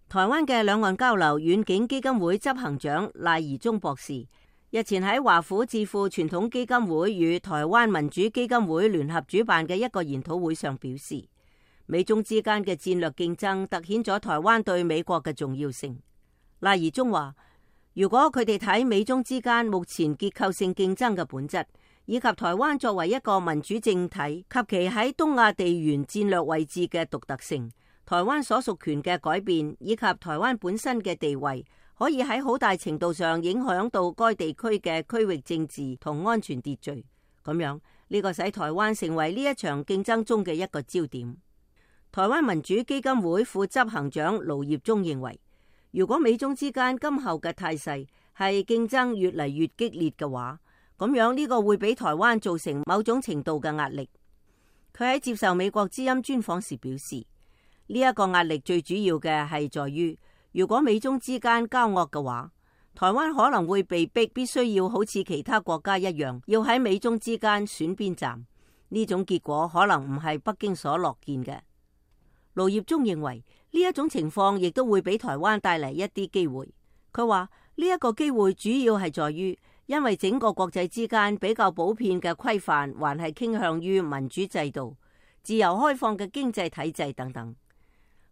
台灣嘅兩岸交流遠景基金會執行長賴宜中博士日前喺華府智庫傳統基金會與台灣民主基金會聯合主辦嘅一個研討會上表示，美中之間嘅戰略競爭凸顯咗台灣對美國嘅重要性。賴宜中話，如果佢哋睇美中之間目前結構性競爭嘅本質，以及台灣作為一個民主政體及其喺東亞地緣戰略位置嘅獨特性，台灣所屬權嘅改變，以及台灣本身嘅地位，可以喺好大程度上影響到該地區嘅區域政治同安全秩序。咁樣呢個使台灣成為呢一場競爭中嘅一個焦點。台灣民主基金會副執行長盧業忠認為，如果美中之間今後嘅態勢係競爭越嚟越激烈嘅話，咁樣呢個會俾台灣造成某種程度嘅壓力。佢喺接受美國之音專訪時表示，呢一個壓力最主要嘅係在於，如果美中之間交惡嘅話，台灣可能會被逼必須要好似其他國家一樣，要喺美中之間選邊站。呢種結果可能唔係北京所樂見嘅。盧業忠認為呢一種情況亦都會俾台灣帶嚟一啲機會。佢話呢一個機會主要係在於，因為整個國際之間比較普遍嘅規範還係傾向於民主制度、自由開放嘅經濟體制等等。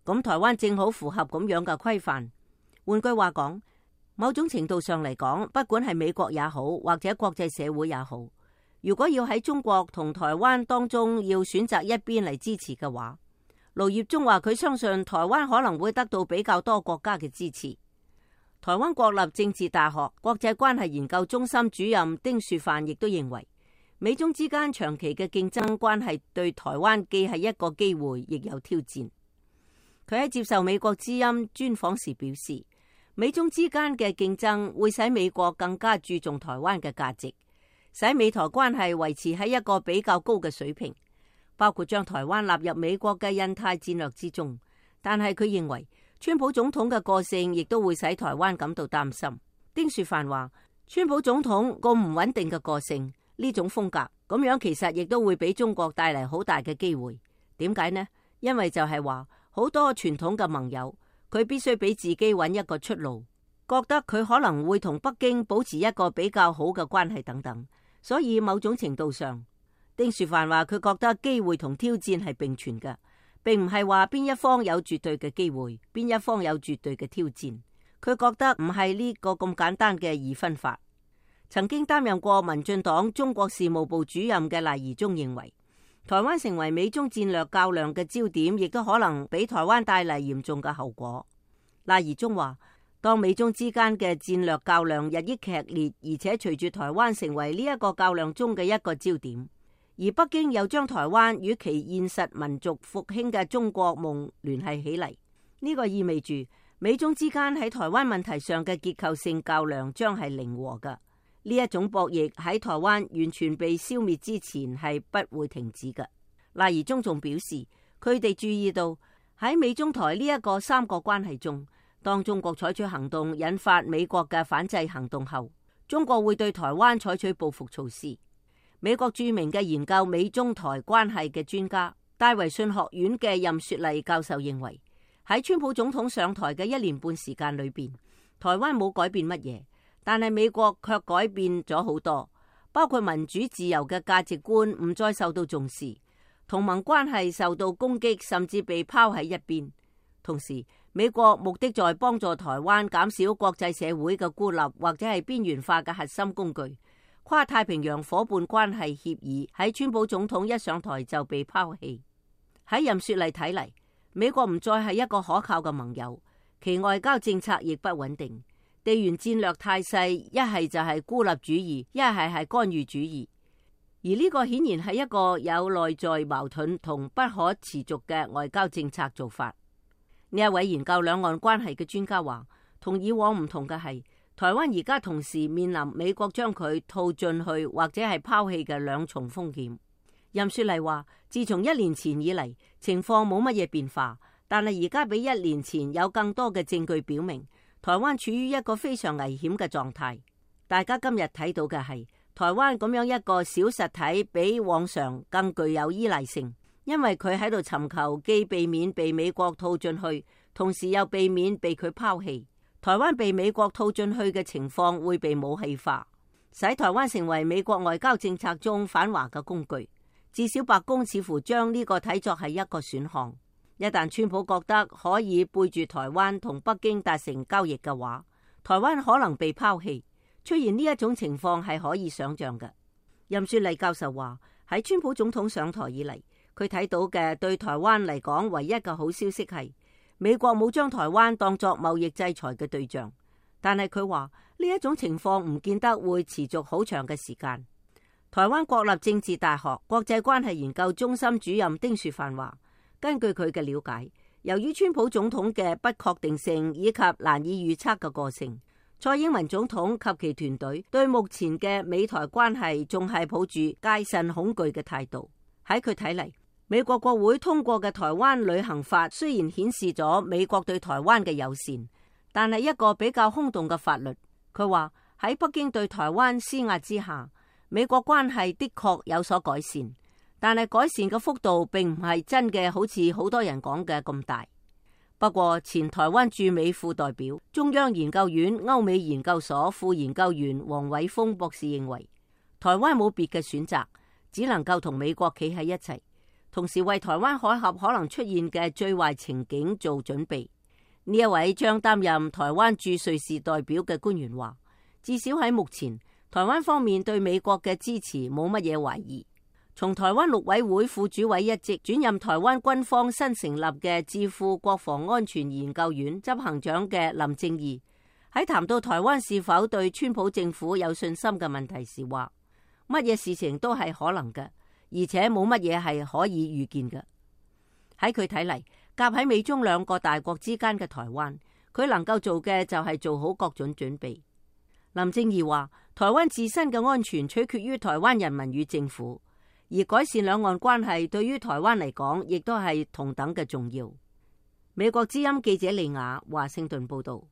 咁台灣正好符合咁樣嘅規範。換句話講，某種程度上嚟講，不管係美國也好，或者國際社會也好，如果要喺中國同台灣當中要選擇一邊嚟支持嘅話，盧業忠話佢相信台灣可能會得到比較多國家嘅支持。台灣國立政治大學國際關係研究中心主任丁樹範亦都認為，美中之間長期嘅競爭關係對台灣既係一個機會，亦有挑戰。佢喺接受美國之音專訪時表示，美中之間嘅競爭會使美國更加注重台灣嘅價值，使美台關係維持喺一個比較高嘅水平，包括將台灣納入美國嘅印太戰略之中。但係佢認為，川普總統嘅個性亦都會使台灣感到擔心。丁樹範話，川普總統個唔穩定嘅個性，呢種風格咁樣其實亦都會俾中國帶嚟好大嘅機會。點解呢？因為就係話好多傳統嘅盟友，佢必須俾自己揾一個出路，覺得佢可能會同北京保持一個比較好嘅關係等等。所以某種程度上，丁樹範話佢覺得機會同挑戰係並存嘅，並唔係話邊一方有絕對嘅機會，邊一方有絕對嘅挑戰。佢覺得唔係呢個咁簡單嘅二分法。曾經擔任過民進黨中國事務部主任嘅賴宜中認為，台灣成為美中戰略較量嘅焦點，亦都可能俾台灣帶嚟嚴重嘅後果。賴宜中話，當美中之間嘅戰略較量日益劇烈，而且隨住台灣成為呢一個較量中嘅一個焦點，而北京又將台灣與其現實民族復興嘅中國夢聯繫起嚟，呢個意味住美中之間喺台灣問題上嘅結構性較量將係零和嘅。呢一種博弈喺台灣完全被消滅之前係不會停止嘅。賴宜中仲表示，佢哋注意到喺美中台呢一個三角關係中，當中國採取行動引發美國嘅反制行動後，中國會對台灣採取報復措施。美國著名嘅研究美中台關係嘅專家戴維遜學院嘅任雪麗教授認為，喺川普總統上台嘅1年半時間裏邊，台灣冇改變乜嘢，但係美國卻改變咗好多，包括民主自由嘅價值觀唔再受到重視，同盟關係受到攻擊，甚至被拋喺一邊。同時，美國目的在幫助台灣減少國際社會嘅孤立或者係邊緣化嘅核心工具。跨太平洋夥伴關係協議喺川普總統一上台就被拋棄。喺任雪麗睇嚟，美國唔再係一個可靠嘅盟友，其外交政策亦不穩定。地緣戰略態勢一係就係孤立主義，一係干預主義，而呢個顯然係一個有內在矛盾同不可持續嘅外交政策做法。呢一位研究兩岸關係嘅專家話，同以往唔同嘅係，台灣而家同時面臨美國將佢套進去或者係拋棄嘅兩重風險。任雪麗話，自從1年前以嚟，情況冇乜嘢變化，但係而家比1年前有更多嘅證據表明，台灣處於一個非常危險嘅狀態。大家今日睇到嘅係台灣咁樣一個小實體，比往常更具有依賴性，因為佢喺度尋求既避免被美國套進去，同時又避免被佢拋棄。台灣被美國套進去嘅情況會被武器化，使台灣成為美國外交政策中反華嘅工具。至少白宮似乎將呢個睇作係一個選項。一旦川普覺得可以背住台灣同北京達成交易嘅話，台灣可能被拋棄。出現呢一種情況係可以想象嘅。任雪麗教授話，喺川普總統上台以嚟，佢睇到嘅對台灣嚟講唯一嘅好消息係美國冇將台灣當作貿易制裁嘅對象。但係佢話呢一種情況唔見得會持續好長嘅時間。台灣國立政治大學國際關係研究中心主任丁樹範話，根據佢嘅了解，由於川普總統嘅不確定性以及難以預測嘅個性，蔡英文總統及其團隊對目前嘅美台關係仲係抱住戒慎恐懼嘅態度。喺佢睇嚟，美國國會通過嘅台灣旅行法雖然顯示咗美國對台灣嘅友善，但係一個比較空洞嘅法律。佢話喺北京對台灣施壓之下，美國關係的確有所改善，但係改善嘅幅度並唔係真嘅，好似好多人講嘅咁大。不過，前台灣駐美副代表、中央研究院歐美研究所副研究員黃偉峰博士認為，台灣冇別嘅選擇，只能夠同美國企喺一齊，同時為台灣海峽可能出現嘅最壞情景做準備。呢一位將擔任台灣駐瑞士代表嘅官員話，至少喺目前，台灣方面對美國嘅支持冇乜嘢懷疑。從台灣陸委會副主委一職轉任台灣軍方新成立嘅智庫國防安全研究院執行長嘅林正義喺談到台灣是否對川普政府有信心嘅問題時話，乜嘢事情都係可能嘅，而且冇乜嘢係可以預見嘅。喺佢睇嚟，夾喺美中兩個大國之間嘅台灣，佢能夠做嘅就係做好各種準備。林正義話，台灣自身嘅安全取決於台灣人民與政府。而改善兩岸關係對於台灣嚟講，亦都係同等嘅重要。美國之音記者李雅華盛頓報道。